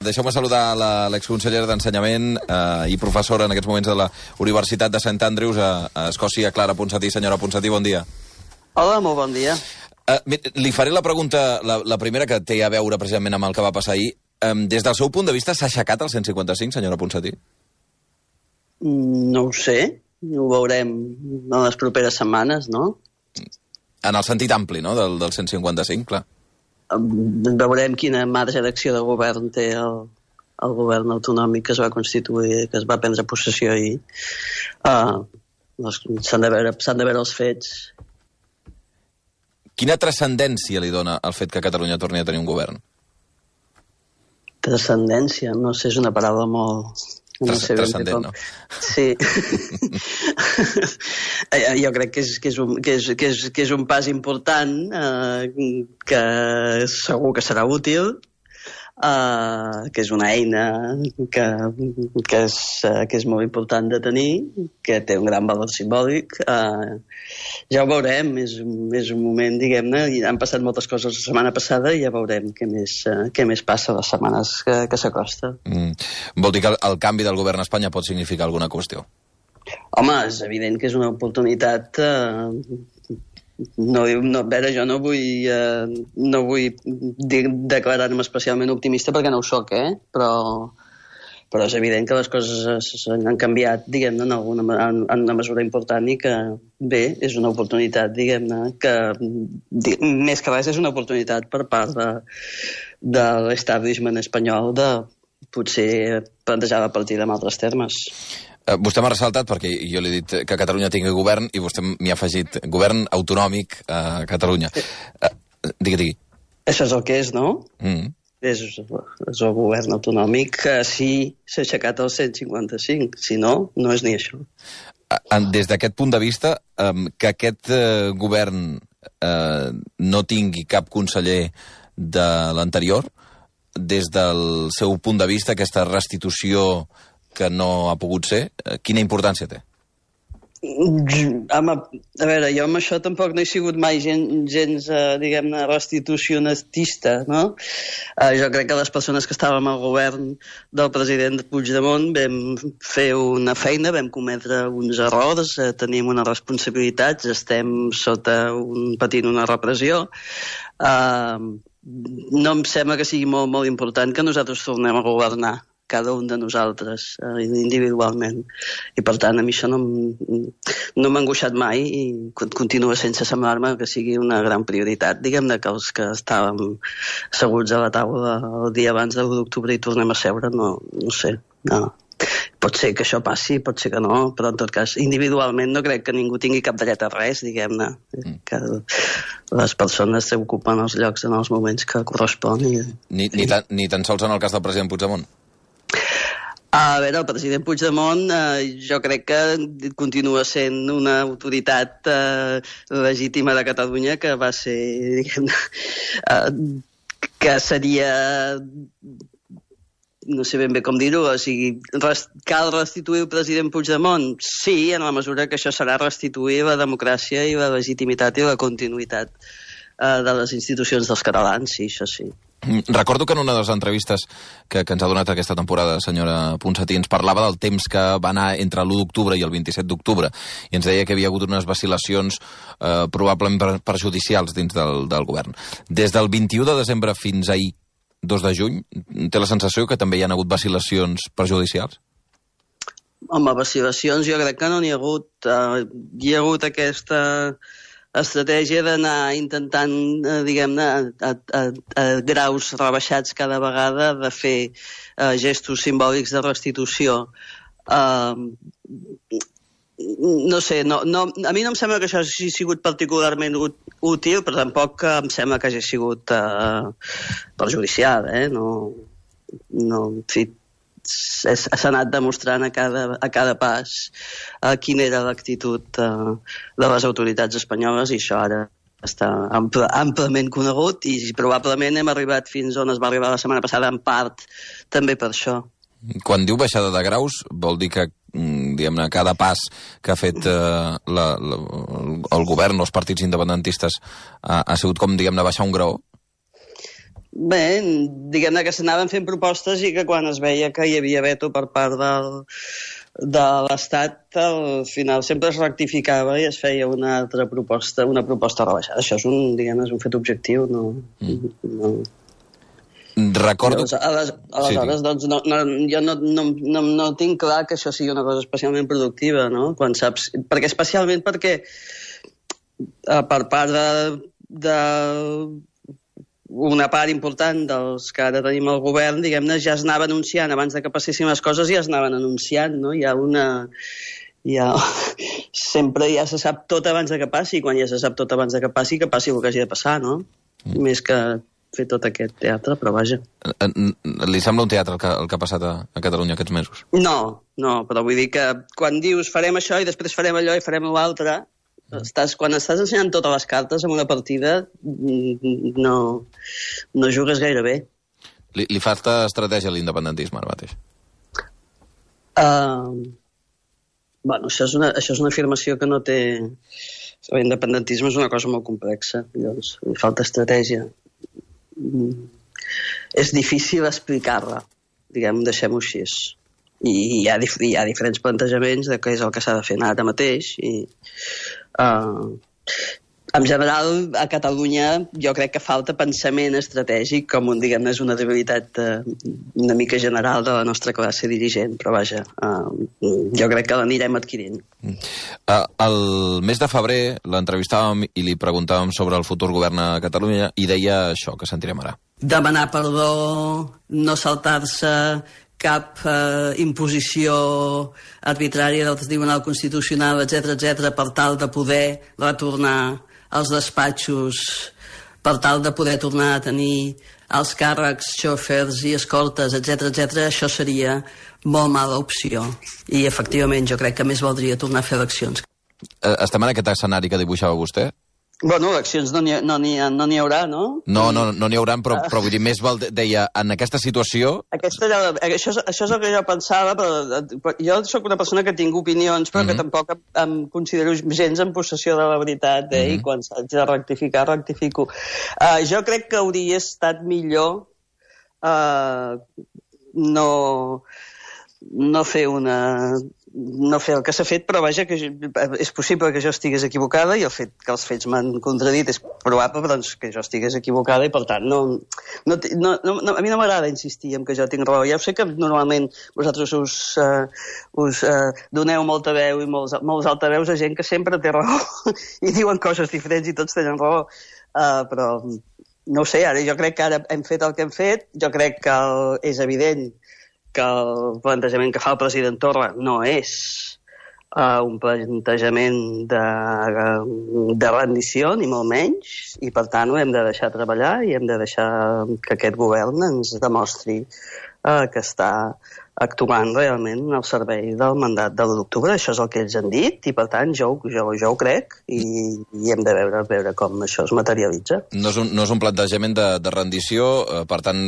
Deixeu-me saludar l'exconsellera d'Ensenyament i professora en aquests moments de la Universitat de St. Andrews a Escòcia, Clara Ponsatí. Senyora Ponsatí, bon dia. Hola, molt bon dia. Li faré la pregunta, la primera, que té a veure precisament amb el que va passar ahir. Des del seu punt de vista, s'ha aixecat el 155, senyora Ponsatí? No ho sé, ho veurem en les properes setmanes, no? En el sentit ampli, no?, del 155, clar. Veurem quina marge d'acció de govern té el govern autonòmic que es va constituir, que es va prendre possessió ahir. S'han de veure els fets. Quina transcendència li dona el fet que Catalunya torni a tenir un govern? Transcendència, no sé, és una paraula molt... Transcendent, no? Sí. Jo crec que és un pas important, que segur que serà útil, que és una eina que és molt important de tenir, que té un gran valor simbòlic. Ja ho veurem, és un moment, diguem-ne, han passat moltes coses la setmana passada i ja veurem què més passa les setmanes que s'acosta. Vol dir que el canvi del govern a Espanya pot significar alguna qüestió? Home, és evident que és una oportunitat... a veure, jo no vull declarar-me especialment optimista perquè no ho soc, però és evident que les coses han canviat, diguem-ne, en una mesura important i que, bé, és una oportunitat, diguem-ne, que més que res és una oportunitat per part de l'establishment espanyol de potser plantejar la partida en altres termes. Vostè m'ha ressaltat, perquè jo li he dit que Catalunya tingui govern, i vostè m'hi ha afegit govern autonòmic a Catalunya. Digui. Això és el que és, no? És el govern autonòmic que sí s'ha aixecat el 155. Si no, no és ni això. Des d'aquest punt de vista, que aquest govern no tingui cap conseller de l'anterior, des del seu punt de vista, aquesta restitució que no ha pogut ser, quina importància té? A veure, jo amb això tampoc no he sigut mai gens, diguem-ne, restitucionista, no? Jo crec que les persones que estàvem al govern del president Puigdemont vam fer una feina, vam cometre uns errors, tenim unes responsabilitats, estem patint una repressió. No em sembla que sigui molt, molt important que nosaltres tornem a governar, cada un de nosaltres, individualment. I, per tant, a mi això no m'ha angoixat mai i continua sense semblar-me que sigui una gran prioritat. Diguem-ne que els que estàvem asseguts a la taula el dia abans de l'1 d'octubre i tornem a seure, no sé, no. Pot ser que això passi, pot ser que no, però en tot cas, individualment no crec que ningú tingui cap dret a res, diguem-ne. Que les persones s'ocupen els llocs en els moments que correspon. Ni tan sols en el cas del president Puigdemont? A veure, el president Puigdemont jo crec que continua sent una autoritat legítima de Catalunya que va ser, diguem-ne, que seria... no sé ben bé com dir-ho, o sigui, cal restituir el president Puigdemont? Sí, en la mesura que això serà restituir la democràcia i la legitimitat i la continuïtat de les institucions dels catalans, sí, això sí. Recordo que en una de les entrevistes que ens ha donat aquesta temporada, senyora Ponsatí, ens parlava del temps que va anar entre l'1 d'octubre i el 27 d'octubre i ens deia que havia hagut unes vacil·lacions probablement perjudicials dins del govern. Des del 21 de desembre fins ahir, 2 de juny, té la sensació que també hi ha hagut vacil·lacions perjudicials? Home, vacil·lacions jo crec que no n'hi ha hagut. Hi ha hagut aquesta estratègia d'anar intentant, diguem-ne, a graus rebaixats cada vegada, de fer gestos simbòlics de restitució. No sé, a mi no em sembla que això hagi sigut particularment útil, però tampoc em sembla que hagi sigut perjudicial, No, en fi, s'ha anat demostrant a cada pas quina era l'actitud de les autoritats espanyoles i això ara està amplament conegut i probablement hem arribat fins on es va arribar la setmana passada, en part també per això. Quan diu baixada de graus, vol dir que diguem-ne, cada pas que ha fet el govern o els partits independentistes ha sigut com, diguem-ne, baixar un graó? Bé, diguem-ne que s'anaven fent propostes i que quan es veia que hi havia veto per part de l'Estat, al final sempre es rectificava i es feia una altra proposta, una proposta rebaixada. Això és és un fet objectiu, no... Recordo... Aleshores, doncs, jo no tinc clar que això sigui una cosa especialment productiva, no? Quan saps... Especialment perquè per part de una part important dels que ara tenim al govern, diguem-ne, ja es anava anunciant, abans de que passessin les coses ja es anaven anunciant, no? Sempre ja se sap tot abans de que passi, i quan ja se sap tot abans de que passi el que hagi de passar, no? Més que fer tot aquest teatre, però vaja. Li sembla un teatre el que ha passat a Catalunya aquests mesos? No, però vull dir que quan dius farem això i després farem allò i farem l'altre, quan estàs ensenyant totes les cartes en una partida no jugues gaire bé. Li falta estratègia a l'independentisme ara mateix? Bueno, això és una afirmació que no té... L'independentisme és una cosa molt complexa, llavors li falta estratègia. És difícil explicar-la, deixem-ho així. I hi ha diferents plantejaments de què és el que s'ha de fer ara mateix i en general a Catalunya jo crec que falta pensament estratègic com és una debilitat una mica general de la nostra classe dirigent, però vaja jo crec que l'anirem adquirint. El mes de febrer l'entrevistàvem i li preguntàvem sobre el futur govern a Catalunya i deia això que sentirem ara. Demanar perdó, no saltar-se cap imposició arbitrària del Tribunal Constitucional, etc., per tal de poder retornar als despatxos, per tal de poder tornar a tenir els càrrecs, xòfers i escoltes, etc., això seria molt mala opció. I, efectivament, jo crec que més valdria tornar a fer eleccions. Estem en aquest escenari que dibuixava vostè? Bueno, eleccions no n'hi haurà, no? No n'hi haurà, però vull dir, deia, en aquesta situació... Això és el que jo pensava, però jo sóc una persona que tinc opinions, però que tampoc em considero gens en possessió de la veritat, i quan s'haig de rectificar, rectifico. Jo crec que hauria estat millor no fer el que s'ha fet, però vaja, que és possible que jo estigués equivocada i el fet que els fets m'han contradit és probable doncs, que jo estigués equivocada i per tant a mi no m'agrada insistir en que jo tinc raó. Ja sé que normalment vosaltres us doneu molta veu i molts altaveus a gent que sempre té raó i diuen coses diferents i tots tenen raó, però no ho sé, ara jo crec que ara hem fet el que hem fet, jo crec que és evident que el plantejament que fa el president Torra no és un plantejament de rendició, ni molt menys, i per tant ho hem de deixar treballar i hem de deixar que aquest govern ens demostri que està actuant realment al servei del mandat de l'1 d'octubre. Això és el que ells han dit i per tant jo ho crec i hem de veure com això es materialitza. No és un plantejament de rendició, per tant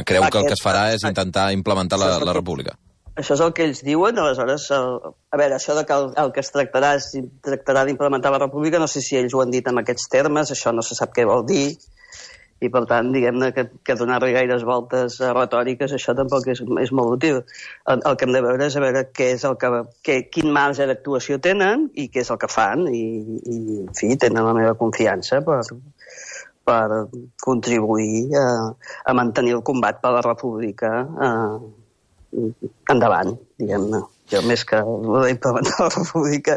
creu que el que es farà és intentar implementar la república. Això és el que ells diuen, aleshores, a veure, això de que el que es tractarà d'implementar la república, no sé si ells ho han dit en aquests termes, això no se sap què vol dir, i per tant, diguem-ne que donar-li gaires voltes retòriques, això tampoc és molt útil. El que hem de veure és a veure quin marge d'actuació tenen i què és el que fan, i en fi, tenen la meva confiança per contribuir a mantenir el combat per la república endavant, diguem-ne. Jo, més que implementar la república,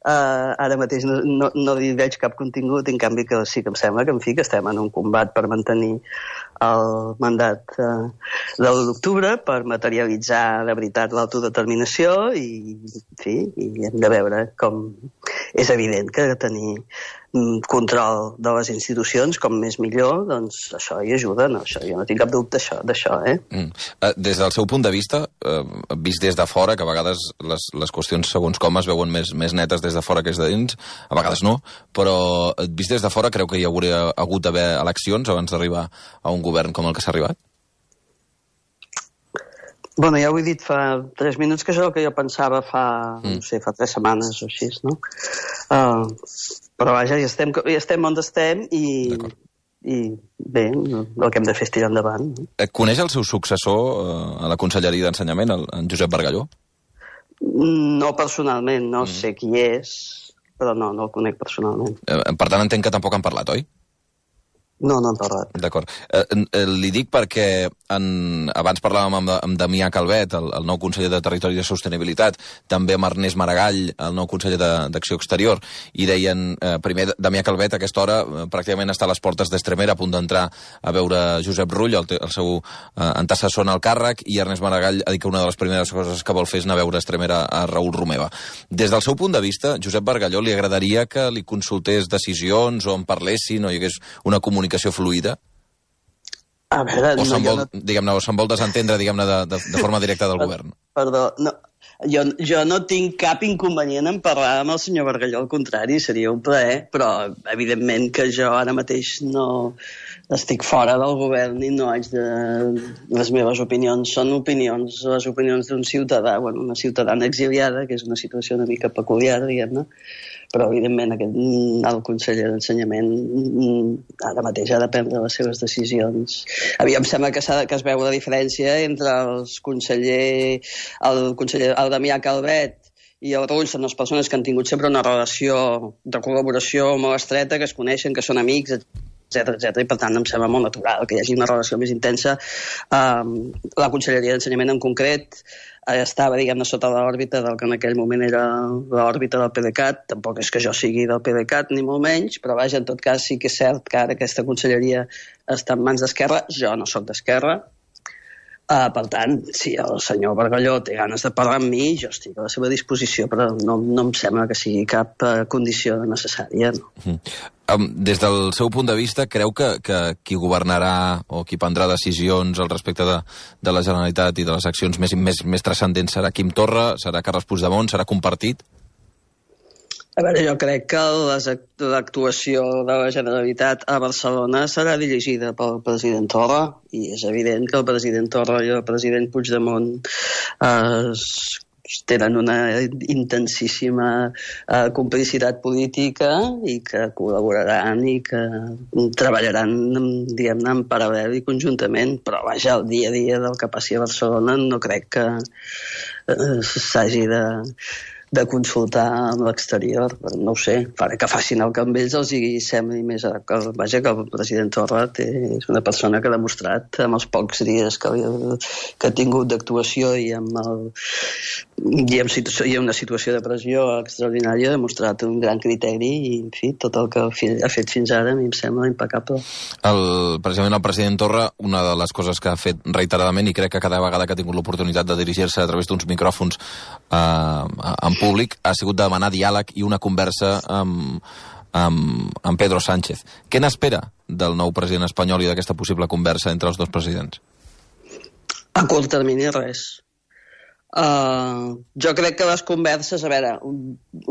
ara mateix no li veig cap contingut, en canvi que sí que em sembla que, en fi, que estem en un combat per mantenir el mandat de l'1 d'octubre, per materialitzar de veritat l'autodeterminació i, en fi, hem de veure com... És evident que tenir control de les institucions, com més millor, doncs això hi ajuda, no? Jo no tinc cap dubte d'això, Des del seu punt de vista, vist des de fora, que a vegades les qüestions segons com es veuen més netes des de fora que des de dins, a vegades no, però vist des de fora creu que hi hauria hagut d'haver eleccions abans d'arribar a un govern com el que s'ha arribat? Bueno, ja ho he dit fa 3 minuts, que és el que jo pensava fa 3 setmanes o així, no? Però vaja, ja estem on estem i bé, el que hem de fer és tirar endavant. Coneix el seu successor a la Conselleria d'Ensenyament, en Josep Bargalló? No personalment, no sé qui és, però no el conec personalment. Per tant, entenc que tampoc han parlat, oi? No hem parlat. D'acord. Li dic perquè abans parlàvem amb Damià Calvet, el nou conseller de Territori i de Sostenibilitat, també amb Ernest Maragall, el nou conseller d'Acció Exterior, i deien, primer, Damià Calvet a aquesta hora pràcticament està a les portes d'Estremera, a punt d'entrar a veure Josep Rull, el seu antecessor en el càrrec, i Ernest Maragall ha dit que una de les primeres coses que vol fer és anar a veure a Estremera a Raül Romeva. Des del seu punt de vista, Josep Bargalló li agradaria que li consultés decisions o en parlessin o hi hagués una comunicació fluida? A veure... O se'n vol desentendre, diguem-ne, de forma directa del govern? Perdó, no. Jo no tinc cap inconvenient en parlar amb el senyor Bargalló, al contrari, seria un plaer, però evidentment que jo ara mateix no estic fora del govern i no haig de... Les meves opinions són opinions, les opinions d'un ciutadà, una ciutadana exiliada, que és una situació una mica peculiar, diguem-ne, però evidentment el conseller d'Ensenyament ara mateix ha de prendre les seves decisions. A mi em sembla que es veu la diferència entre el Damià Calvet i el Rull són les persones que han tingut sempre una relació de col·laboració molt estreta, que es coneixen, que són amics, etc. I per tant em sembla molt natural que hi hagi una relació més intensa. La Conselleria d'Ensenyament en concret estava, diguem-ne, sota l'òrbita del que en aquell moment era l'òrbita del PDeCAT. Tampoc és que jo sigui del PDeCAT, ni molt menys, però vaja, en tot cas sí que és cert que ara aquesta conselleria està en mans d'Esquerra. Jo no sóc d'Esquerra. Per tant, si el senyor Bargalló té ganes de parlar amb mi, jo estic a la seva disposició, però no em sembla que sigui cap condició necessària. No? Des del seu punt de vista, creu que qui governarà o qui prendrà decisions al respecte de la Generalitat i de les accions més transcendents serà Quim Torra, serà Carles Puigdemont, serà compartit? A veure, jo crec que l'actuació de la Generalitat a Barcelona serà dirigida pel president Torra, i és evident que el president Torra i el president Puigdemont tenen una intensíssima complicitat política i que col·laboraran i que treballaran, diguem-ne, en paral·lel i conjuntament, però vaja, el dia a dia del que passi a Barcelona no crec que s'hagi de consultar amb l'exterior, no ho sé, que facin el que amb ells els sembli més adequat. Vaja, que el president Torra és una persona que ha demostrat amb els pocs dies que ha tingut d'actuació i en una situació de pressió extraordinària, ha demostrat un gran criteri i, en fi, tot el que ha fet fins ara a mi em sembla impecable. Precisament el president Torra, una de les coses que ha fet reiteradament, i crec que cada vegada que ha tingut l'oportunitat de dirigir-se a través d'uns micròfons en públic, ha sigut demanar diàleg i una conversa amb Pedro Sánchez. Què n'espera del nou president espanyol i d'aquesta possible conversa entre els dos presidents? A curt termini, res. Jo crec que les converses, a veure,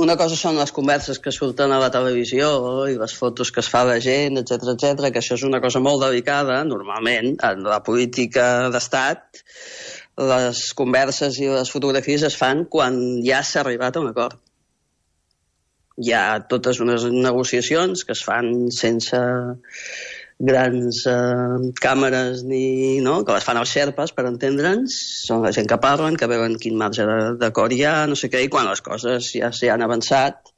una cosa són les converses que surten a la televisió i les fotos que es fa la gent, etc, que això és una cosa molt delicada, normalment, en la política d'estat. Les converses i les fotografies es fan quan ja s'ha arribat a un acord. Hi ha totes unes negociacions que es fan sense grans càmeres que les fan els xerpes, per entendre'ns. Són la gent que parlen, que veuen quin marge d'acord hi ha, no sé què, i quan les coses ja s'hi han avançat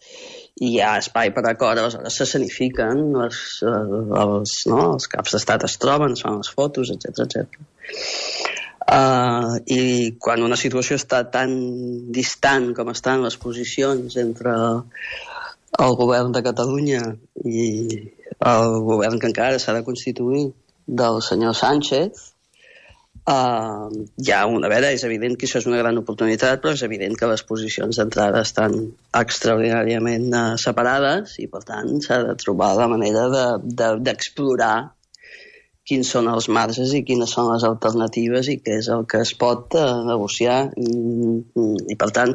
i hi ha espai per acord, aleshores s'escenifiquen, els caps d'estat es troben, es fan les fotos, etc. I quan una situació està tan distant com estan les posicions entre el govern de Catalunya i el govern que encara s'ha de constituir del senyor Sánchez, és evident que això és una gran oportunitat, però és evident que les posicions d'entrada estan extraordinàriament separades i per tant s'ha de trobar la manera d'explorar quins són els marges i quines són les alternatives i què és el que es pot negociar. I per tant,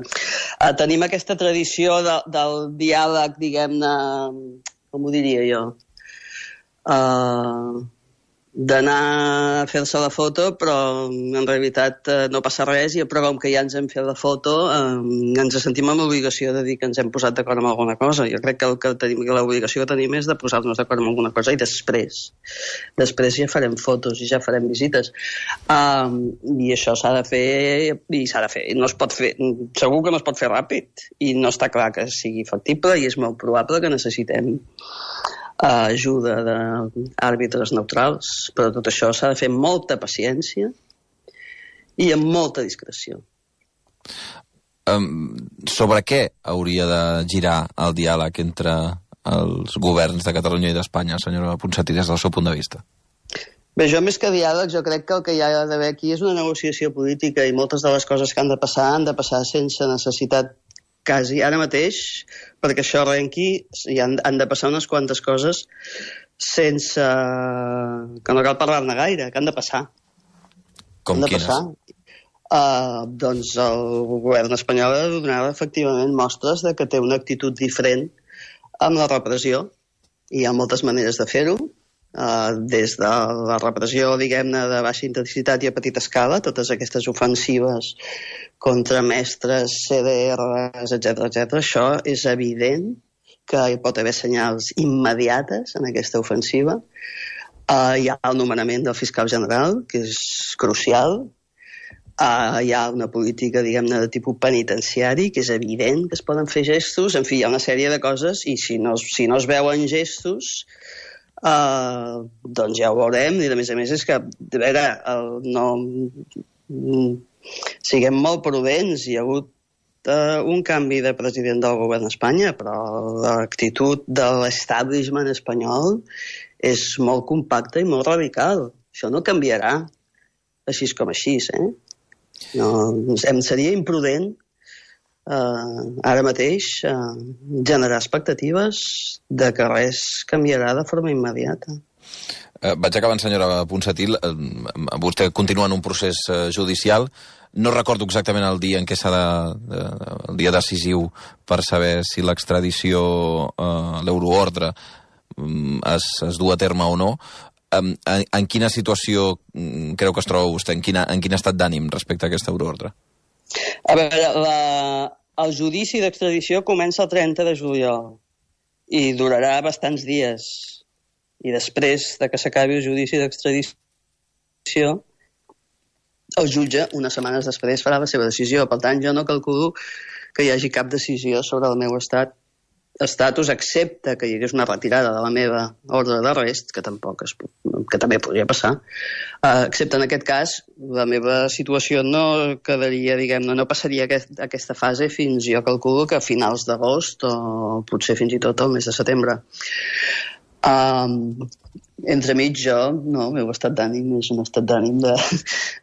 tenim aquesta tradició del diàleg, diguem-ne, com ho diria jo, d'anar a fer-se la foto, però en realitat no passa res, i però com que ja ens hem fet la foto, ens sentim amb l'obligació de dir que ens hem posat d'acord amb alguna cosa. Jo crec que l'obligació que tenim és de posar-nos d'acord amb alguna cosa, i després ja farem fotos i ja farem visites. I això s'ha de fer, no es pot fer, segur que no es pot fer ràpid, i no està clar que sigui factible, i és molt probable que necessitem ajuda d'àrbitres neutrals, però tot això s'ha de fer amb molta paciència i amb molta discreció. Sobre què hauria de girar el diàleg entre els governs de Catalunya i d'Espanya, senyora Ponsatí, des del seu punt de vista? Bé, jo més que diàleg, jo crec que el que hi ha d'haver aquí és una negociació política, i moltes de les coses que han de passar sense necessitat quasi ara mateix, perquè això arrenqui, i han de passar unes quantes coses sense que no cal parlar-ne gaire, que han de passar. Com quines? Doncs el govern espanyol ha de donar efectivament mostres de que té una actitud diferent amb la repressió. Hi ha moltes maneres de fer-ho, des de la repressió, diguem-ne, de baixa intensitat i a petita escala, totes aquestes ofensives contra mestres, CDRs, etc. Això és evident que hi pot haver senyals immediates en aquesta ofensiva. Hi ha el nomenament del fiscal general, que és crucial. Hi ha una política, diguem-ne, de tipus penitenciari, que és evident que es poden fer gestos. En fi, hi ha una sèrie de coses, i si no es veuen gestos, doncs ja ho veurem. I a més és que, de veure, siguem molt prudents. Hi ha hagut un canvi de president del govern d'Espanya, però l'actitud de l'establishment espanyol és molt compacta i molt radical. Això no canviarà així com així, No, em seria imprudent ara mateix generar expectatives de que res canviarà de forma immediata. Vaig acabant, senyora Ponsatí. Vostè continua en un procés judicial. No recordo exactament el dia en què serà el dia decisiu per saber si l'extradició, l'euroordre, es du a terme o no. En quina situació creu que es troba vostè? En quin estat d'ànim respecte a aquesta euroordre? A veure, el judici d'extradició comença el 30 de juliol i durarà bastants dies. I després de que s'acabi el judici d'extradició, el jutge, unes setmanes després, farà la seva decisió. Per tant, jo no calculo que hi hagi cap decisió sobre el meu estatus, excepte que hi hagués una retirada de la meva ordre d'arrest, que també podria passar. Excepte en aquest cas, la meva situació no quedaria, diguem-ne, no passaria aquesta fase fins, jo calculo, que a finals d'agost o potser fins i tot al mes de setembre. Entremig jo, no, el meu estat d'ànim és un estat d'ànim de...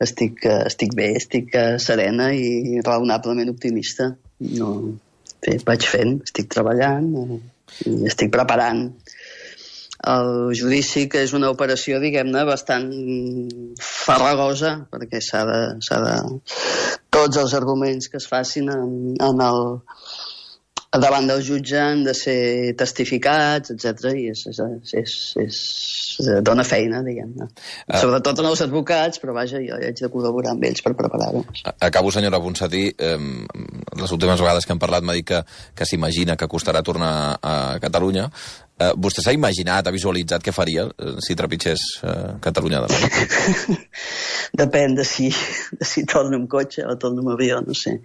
estic bé, estic serena i raonablement optimista. No... Bé, vaig fent, estic treballant i estic preparant el judici, que és una operació, diguem-ne, bastant farragosa, perquè s'ha de... Tots els arguments que es facin davant del jutge han de ser testificats, etc. I dona feina, diguem-ne. Sobretot als advocats, però vaja, jo haig de col·laborar amb ells per preparar-ho. Acabo, senyora Ponsatí. Les últimes vegades que hem parlat m'ha dit que s'imagina que costarà tornar a Catalunya. Vostè s'ha imaginat, ha visualitzat què faria si trepitgés Catalunya de nou? Depèn de si torno amb cotxe o torno amb avió, no sé.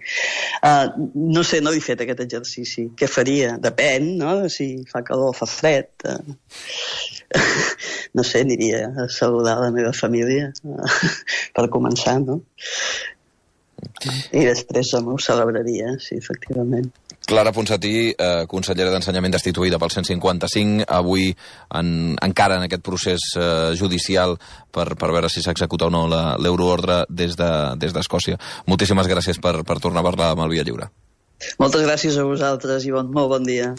No sé, no he fet aquest exercici. Què faria? Depèn, no? Si fa calor o fa fred. No sé, aniria a saludar la meva família per començar, no? I després ho celebraria, sí, efectivament. Clara Ponsatí, consellera d'Ensenyament destituïda pel 155, avui encara en aquest procés judicial per veure si s'executa o no l'euroordre des d'Escòcia. Moltíssimes gràcies per tornar a parlar amb el Via Lliure. Moltes gràcies a vosaltres i molt bon dia.